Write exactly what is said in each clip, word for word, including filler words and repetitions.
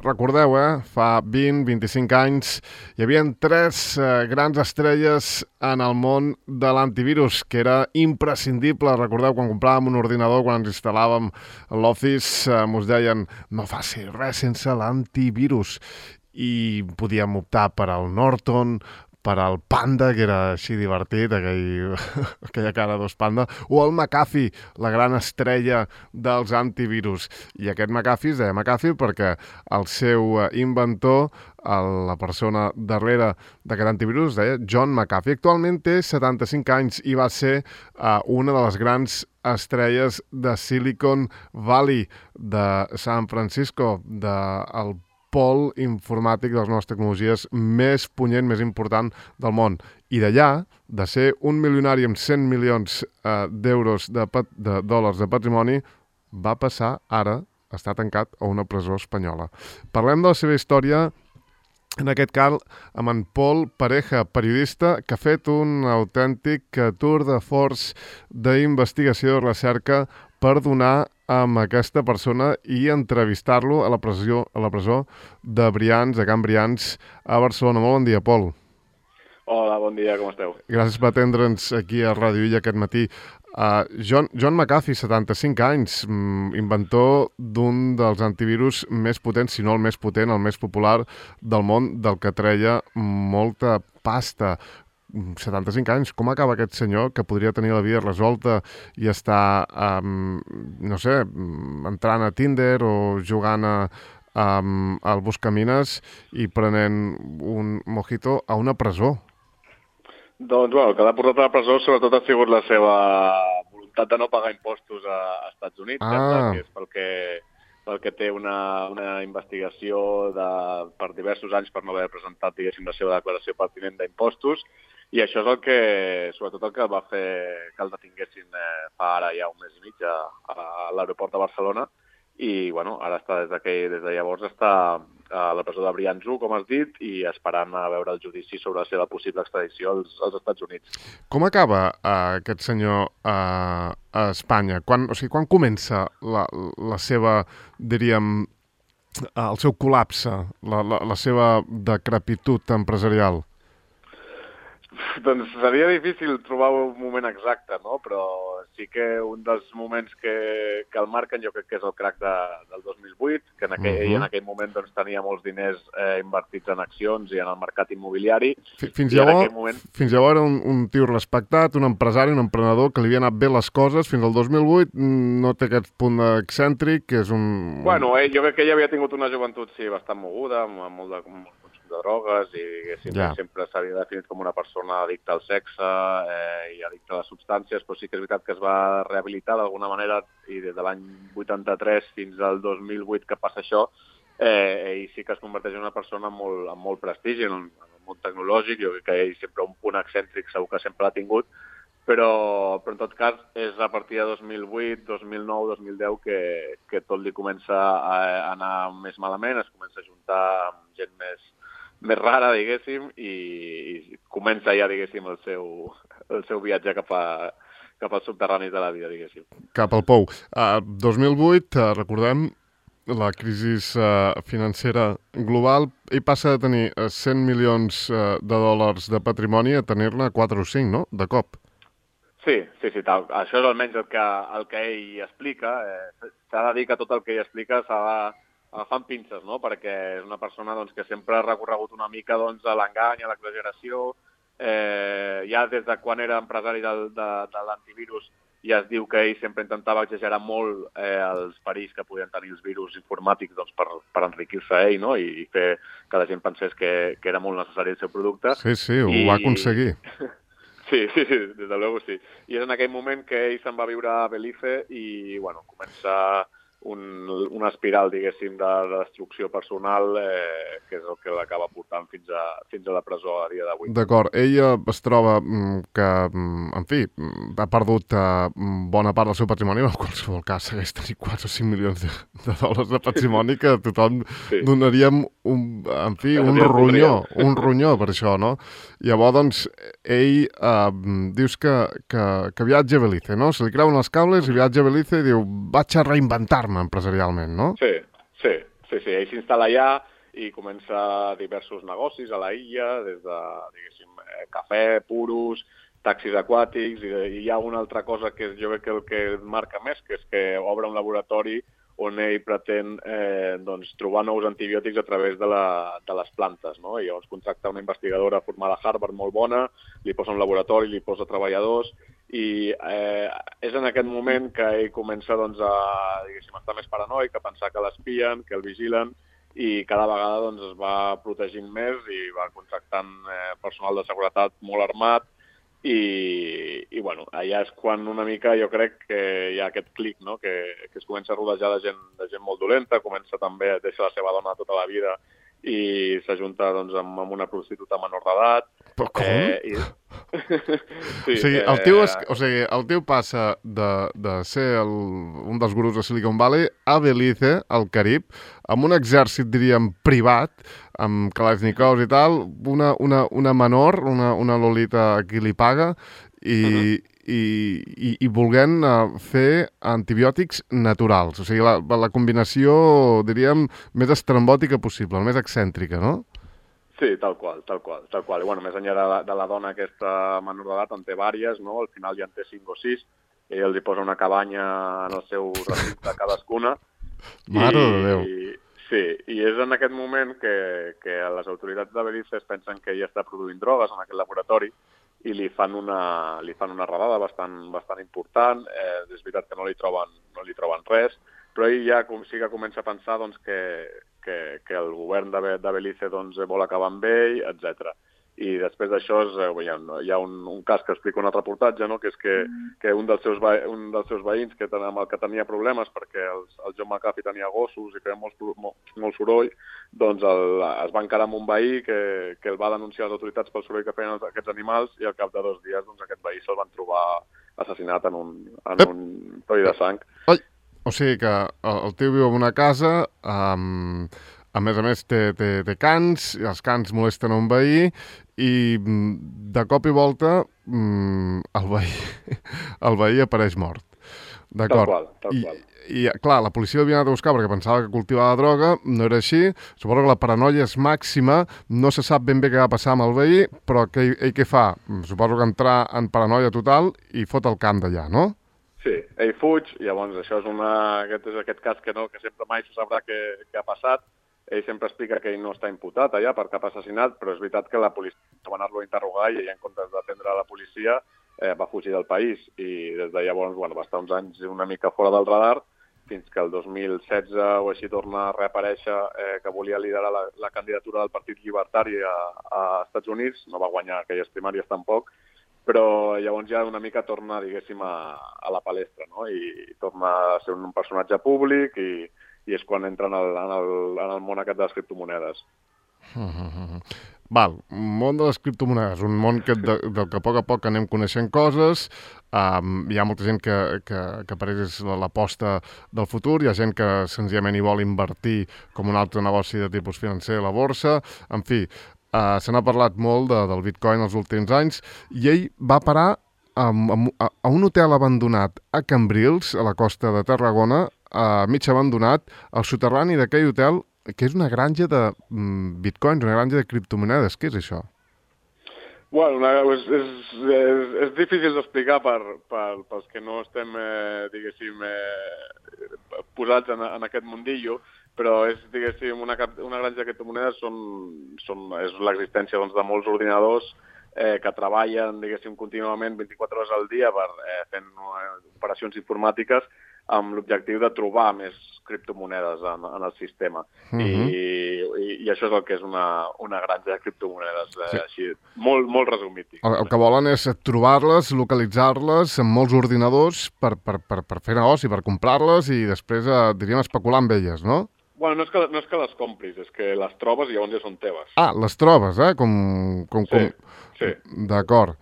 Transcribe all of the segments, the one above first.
recordeu, eh? Fa vint a vint-i-cinc anys hi havia tres eh, grans estrelles en el món de l'antivirus, que era imprescindible. Recordeu, quan compràvem un ordinador, quan ens instal·làvem a l'Office, eh, mos deien no faci res sense l'antivirus. I podíem optar per al Norton, per al Panda, que era així divertit, aquell, aquella cara d'os Panda, o el McAfee, la gran estrella dels antivirus. I aquest McAfee es deia McAfee perquè el seu inventor, la persona darrere d'aquest antivirus, es deia John McAfee. Actualment té setanta-cinc anys i va ser uh, una de les grans estrelles de Silicon Valley, de San Francisco, del pol informàtic de les noves tecnologies més punyent, més important del món. I d'allà, de ser un milionari amb cent milions eh, d'euros de, de dòlars de patrimoni, va passar ara a estar tancat a una presó espanyola. Parlem de la seva història, en aquest cas, amb en Pol Pareja, periodista, que ha fet un autèntic tour de force d'investigació i recerca per donar amb aquesta persona i entrevistar-lo a la presó, a la presó de Brians, de Can Brians, a Barcelona. Molt bon dia, Pol. Hola, bon dia, com esteu? Gràcies per atendre'ns aquí a Ràdio Illa aquest matí. Uh, John, John McAfee, setanta-cinc anys, inventor d'un dels antivirus més potents, si no el més potent, el més popular del món, del que treia molta pasta. setanta-cinc anys, com acaba aquest senyor que podria tenir la vida resolta i estar, um, no sé, entrant a Tinder o jugant a, um, al Buscamines i prenent un mojito a una presó? Doncs, bueno, el que l'ha portat a la presó sobretot ha sigut la seva voluntat de no pagar impostos a, a Estats Units, ah. que és pel que, pel que té una, una investigació de, per diversos anys per no haver presentat, diguéssim, la seva declaració pertinent d'impostos. I això és el que, sobretot el que va fer que el detinguessin eh, fa ara ja un mes i mig a, a l'aeroport de Barcelona i, bueno, ara està des, des de llavors està a la presó de Brians u, com has dit, i esperant a veure el judici sobre la seva possible extradició als, als Estats Units. Com acaba uh, aquest senyor uh, a Espanya? Quan, o sigui, quan comença la, la seva, diríem, el seu col·lapse, la, la, la seva decrepitud empresarial? Doncs seria difícil trobar un moment exacte, no? Però sí que un dels moments que, que el marquen jo crec que és el crac de, del dos mil vuit, que en aquell, uh-huh. ell en aquell moment doncs, tenia molts diners eh, invertits en accions i en el mercat immobiliari. Fins llavors, moment... fins llavors era un, un tio respectat, un empresari, un emprenedor que li havia anat bé les coses. Fins al dos mil vuit no té aquest punt excèntric, que és un... Bueno, eh, jo crec que ell havia tingut una joventut sí, bastant moguda, amb, amb molt de... Amb de drogues i ja. sempre s'havia definit com una persona addicta al sexe eh, i addicta a les substàncies, però sí que és veritat que es va rehabilitar d'alguna manera i des de l'any vuitanta-tres fins al dos mil vuit que passa això, eh, ell sí que es converteix en una persona amb molt, amb molt prestigi en el, en el món tecnològic. Jo crec que ell sempre un punt excèntric segur que sempre l'ha tingut, però, però en tot cas és a partir de dos mil vuit, dos mil nou, dos mil deu que, que tot li comença a anar més malament, es comença a juntar amb gent més més rara, diguéssim, i, i comença ja, diguéssim, el seu, el seu viatge cap, a, cap als subterranis de la vida, diguéssim. Cap al pou. Uh, dos mil vuit, uh, recordem, la crisi uh, financera global, i passa de tenir uh, cent milions uh, de dòlars de patrimoni a tenir-ne quatre o cinc, no?, de cop. Sí, sí, sí, tal. Això és almenys el que, el que ell explica. Eh, s'ha de dir que tot el que ell explica s'ha de agafant pinces, no? Perquè és una persona doncs, que sempre ha recorregut una mica doncs, a l'engany, a l'exageració. Eh, ja des de quan era empresari del, de, de l'antivirus ja es diu que ell sempre intentava exagerar molt eh, els perills que podien tenir els virus informàtics doncs, per, per enriquir-se ell, no? I, i fer que la gent pensés que, que era molt necessari el seu producte. Sí, sí, ho I... va aconseguir. Sí, sí, sí, des de luego sí. I és en aquell moment que ell se'n va viure a Belize i, bueno, comença un, una espiral, diguéssim, de, de destrucció personal eh, que és el que l'acaba portant fins a, fins a la presó a dia d'avui. D'acord. Ella es troba que, en fi, ha perdut bona part del seu patrimoni, però en qualsevol cas segueix tenir quatre o cinc milions de, de dòlars de patrimoni que tothom sí. donaríem un, en fi, un ronyó, un ronyó per això, no? Llavors, doncs, ell eh, dius que, que, que viatja a Belize, no? Se li creuen els cables i viatja a Belize i diu, vaig a reinventar-me empresarialment, no? Sí, sí, sí, sí, ell s'instal·la allà i comença diversos negocis a la illa, des de, diguéssim, cafè, puros, taxis aquàtics, i, i hi ha una altra cosa que jo crec que el que marca més, que és que obre un laboratori on ell pretén eh, doncs, trobar nous antibiòtics a través de, la, de les plantes, no? I llavors contracta una investigadora formada a Harvard molt bona, li posa un laboratori, li posa treballadors, i eh, és en aquest moment que ell comença doncs, a, diguéssim, a estar més paranoic, a pensar que l'espien, que el vigilen, i cada vegada doncs, es va protegint més i va contractant eh, personal de seguretat molt armat, i, i bueno, allà és quan una mica jo crec que hi ha aquest clic, no? que, que es comença a rodejar de gent, de gent molt dolenta, comença també a deixar la seva dona tota la vida i s'ajunta doncs, amb, amb una prostituta menor d'edat. Però com? Eh, i... sí, o, sigui, el tio és, o sigui, el tio passa de, de ser el, un dels gurus de Silicon Valley a Belize, al Carib, amb un exèrcit, diríem, privat, amb Kalashnikovs i tal, una, una, una menor, una, una Lolita a qui li paga, i, uh-huh. i, i, i volent uh, fer antibiòtics naturals. O sigui, la, la combinació, diríem, més estrambòtica possible, més excèntrica, no? Sí, tal qual, tal qual, tal qual. I, bueno, més enllà de la, de la dona aquesta menor d'edat, en té vàries, no? Al final ja en té cinc o sis, i els hi posa una cabanya en el seu recinte cadascuna. Mare de Déu. I, sí, i és en aquest moment que, que les autoritats de Belize pensen que ella està produint drogues en aquest laboratori i li fan una, li fan una redada bastant, bastant important. Eh, és veritat que no li troben, no li troben res, però ell ja sí que comença a pensar doncs, que, que, que el govern de, de Belize doncs, vol acabar amb ell, etcètera. I després d'això hi ha, hi ha un, un cas que explica un altre reportatge, no? que és que, que un, dels seus, un dels seus veïns que, amb el que tenia problemes perquè els, el John McAfee tenia gossos i feia molt, molt, molt soroll, doncs el, es va encarar amb un veí que, que el va denunciar a les autoritats pel soroll que feien els, aquests animals, i al cap de dos dies doncs, aquest veí se'l van trobar assassinat en un, en un toll de sang. Ai. O sigui que el, el tio viu en una casa, um, a més a més té, té, té cans, i els cans molesten a un veí, i de cop i volta mm, el, veí, el veí apareix mort. D'acord. Tal qual, tal I, qual. I, clar, la policia l'havia anat a buscar perquè pensava que cultivava droga, no era així. Suposo que la paranoia és màxima, no se sap ben bé què va passar amb el veí, però que, ell què fa? Suposo que entrar en paranoia total i fot el camp d'allà, no? Sí, ell fuig, llavors això és, una, aquest, és aquest cas que, no, que sempre mai se sabrà què, què ha passat. Ell sempre explica que ell no està imputat allà per cap assassinat, però és veritat que la policia va anar-lo a interrogar i ell, en comptes d'atendre la policia, eh, va fugir del país. I des de llavors bueno, va estar uns anys una mica fora del radar, fins que el dos mil setze o així torna a reaparèixer eh, que volia liderar la, la candidatura del Partit Llibertari a, a Estats Units. No va guanyar aquelles primàries tampoc, però llavors ja una mica torna, diguéssim, a, a la palestra, no? I torna a ser un personatge públic i, i és quan entra en el, en el, en el món aquest de les criptomonedes. Mm-hmm. Val, un món de les criptomonedes, un món que, de, del que a poc a poc anem coneixent coses, um, hi ha molta gent que, que, que per ells és l'aposta del futur, hi ha gent que senzillament hi vol invertir com un altre negoci de tipus financer a la borsa, en fi, uh, se n'ha parlat molt de, del Bitcoin els últims anys, i ell va parar a, a, a un hotel abandonat a Cambrils, a la costa de Tarragona, uh, mig abandonat, al soterrani d'aquell hotel, que és una granja de mm, bitcoins, una granja de criptomonedes. Què és això? Bueno, una, és, és, és, és difícil d'explicar per, per, pels que no estem, eh, diguéssim, eh, posats en, en aquest mundillo, però és, diguéssim, una, una granja de criptomonedes són, són, és l'existència doncs, de molts ordinadors eh, que treballen, diguéssim, contínuament vint-i-quatre hores al dia per, eh, fent eh, operacions informàtiques amb l'objectiu de trobar més criptomonedes en, en el sistema. Uh-huh. I, i, I això és el que és una, una granja de criptomonedes, eh, sí. Així, molt, molt resumit. El, el que volen és trobar-les, localitzar-les en molts ordinadors per, per, per, per fer negoci, per comprar-les i després, eh, diríem, especular amb elles, no? Bueno, no és, que, no és que les compris, és que les trobes i llavors ja són teves. Ah, les trobes, eh? Com, com, sí, com... sí. D'acord.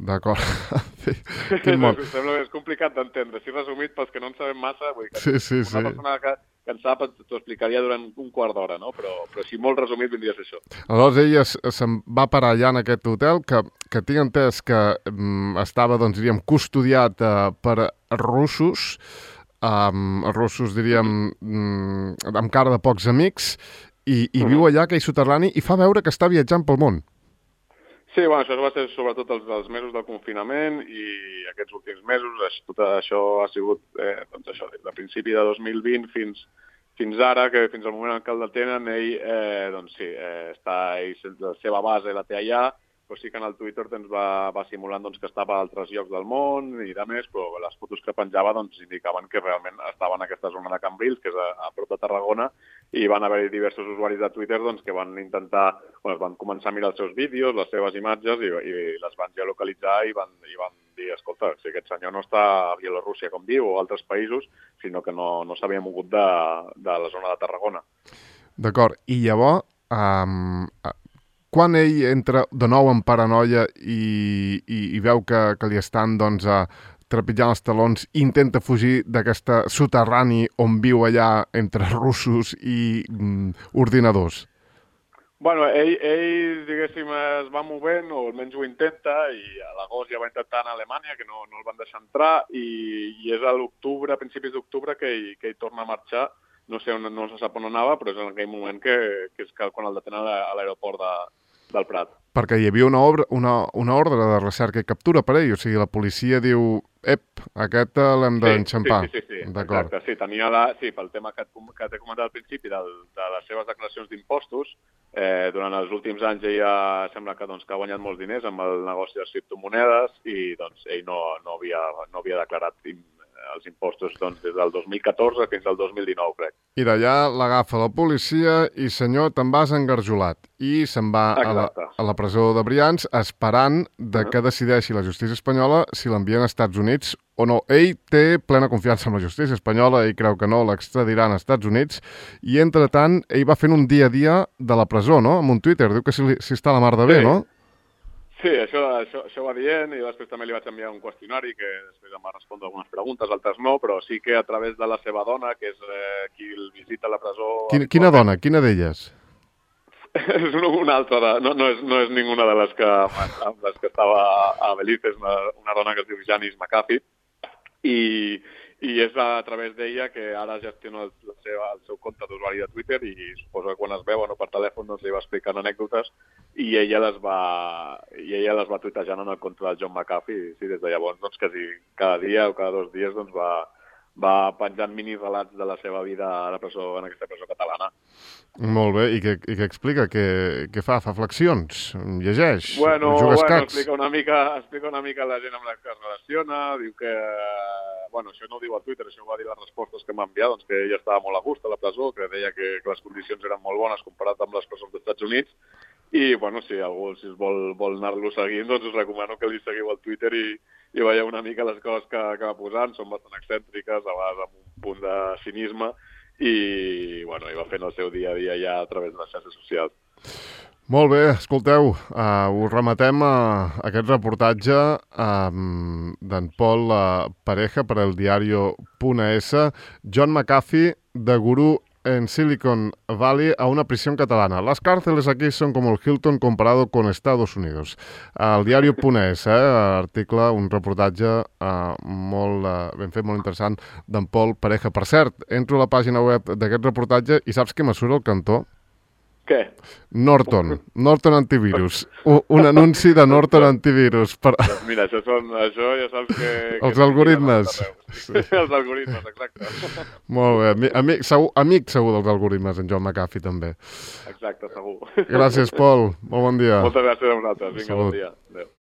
D'acord. Sí. Sembla és complicat d'entendre. Si resumit, pels que no en sabem massa, vull dir que sí, sí, una sí. persona que, que en sap t'ho explicaria durant un quart d'hora, no? Però, però si molt resumit vindria a ser això. Aleshores, ella se'n va parar allà en aquest hotel, que, que tinc entès que mm, estava, doncs, diríem, custodiat eh, per russos. um, els russos, diríem, um, amb cara de pocs amics, i, i viu allà, aquell soterrani, i fa veure que està viatjant pel món. Sí, bueno, això va ser sobretot els, els mesos del confinament i aquests últims mesos, tot això ha sigut, eh, doncs això, des de principi de dos mil vint fins, fins ara, que fins al moment en què el detenen, ell, eh, doncs sí, eh, està, ell, la seva base la té allà, però sí que en el Twitter doncs, va, va simulant doncs, que estava a altres llocs del món i de més, però les fotos que penjava doncs, indicaven que realment estava en aquesta zona de Cambrils, que és a, a prop de Tarragona, i van haver diversos usuaris de Twitter doncs, que van intentar, bueno, van començar a mirar els seus vídeos, les seves imatges, i, i les van geolocalitzar i van, i van dir, escolta, si aquest senyor no està a Bielorússia, com diu, o altres països, sinó que no, no s'havia mogut de, de la zona de Tarragona. D'acord, i llavors, um, quan ell entra de nou en paranoia i, i, i veu que, que li estan doncs, a, trepitjant els talons, intenta fugir d'aquesta soterrani on viu allà entre russos i mm, ordinadors? Bueno, ell, ell, diguéssim, es va movent, o almenys ho intenta, i a l'agost ja va intentar anar a Alemanya, que no, no el van deixar entrar, i, i és a l'octubre, a principis d'octubre, que, ell, que ell torna a marxar. No sé on, no se sap on anava, però és en aquell moment que, que és quan el detenen a l'aeroport de, del Prat. Perquè hi havia una, obra, una, una ordre de recerca i captura per ell, o sigui, la policia diu, ep, aquest l'hem d'enxampar. Sí, sí, sí, sí. Exacte, sí, tenia la, sí, pel tema que, que t'he comentat al principi del, de les seves declaracions d'impostos, eh, durant els últims anys ella sembla que, doncs, que ha guanyat molts diners amb el negoci de les criptomonedes i doncs, ell no, no, havia, no havia declarat els impostos doncs, des del dos mil catorze fins al dos mil dinou, crec. I d'allà l'agafa la policia i, senyor, te'n vas engarjolat. I se'n va a la, a la presó de Brians esperant de que decideixi la justícia espanyola si l'envien als Estats Units o no. Ell té plena confiança en la justícia espanyola, ell creu que no, l'extradiran als Estats Units, i, entretant, ell va fent un dia a dia de la presó, no?, amb un Twitter. Diu que si, si està a la mar de bé, sí. No? Sí, això, això, això va dient, i després també li vaig enviar un qüestionari que després em va respondre algunes preguntes, altres no, però sí que a través de la seva dona, que és eh, qui el visita a la presó... Quina, quina dona? Quina d'elles? És una altra, de, no, no, és, no és ninguna de les que, amb les que estava a Belize, és una, una dona que es diu Janice McAfee, i, i és a través d'ella que ara gestiona el, la seva, el seu compte d'usuari de Twitter i suposo que quan es veuen o per telèfon doncs li va explicant anècdotes i ella les va, i ella les va tuitejant en el compte del John McAfee i sí, des de llavors doncs quasi cada dia o cada dos dies doncs va, va penjant mini relats de la seva vida a la presó, en aquesta presó catalana. Molt bé, i què, i què explica? Què, què fa? Fa flexions? Llegeix? Bueno, jugues bueno cacs? Explica una, mica, explica una mica la gent amb la que es relaciona, diu que... Bueno, això no ho diu a Twitter, això ho va dir les respostes que m'ha enviat, doncs que ella estava molt a gust a la presó, que deia que, que les condicions eren molt bones comparat amb les presons dels Estats Units, i, bueno, si algú si vol, vol anar-lo seguint, doncs us recomano que li seguiu al Twitter i, i veieu una mica les coses que, que va posant, són bastant excèntriques, a vegades amb un punt de cinisme, i, bueno, i va fent el seu dia a dia ja a través de les xarxes socials. Molt bé, escolteu, uh, us rematem a aquest reportatge um, d'en Pol uh, Pareja per el diario.es, John McAfee, de gurú en Silicon Valley a una prisión catalana. Las cárceles aquí son como el Hilton comparado con Estados Unidos. El diario.es, eh, article, un reportatge eh, molt eh, ben fet, molt interessant, d'en Pol Pareja. Per cert, entro a la pàgina web d'aquest reportatge i saps què me surt al cantó? Què? Norton, Norton Antivirus. Un, un anunci de Norton Antivirus. Per... Doncs mira, això, són, això ja saps que... Els que algoritmes. Sí. Els algoritmes, exacte. Molt bé. Amic segur, amic segur dels algoritmes, en John McAfee, també. Exacte, segur. Gràcies, Pol. Molt bon dia. Moltes gràcies a vosaltres. Vinga, Salut. bon dia. Adéu.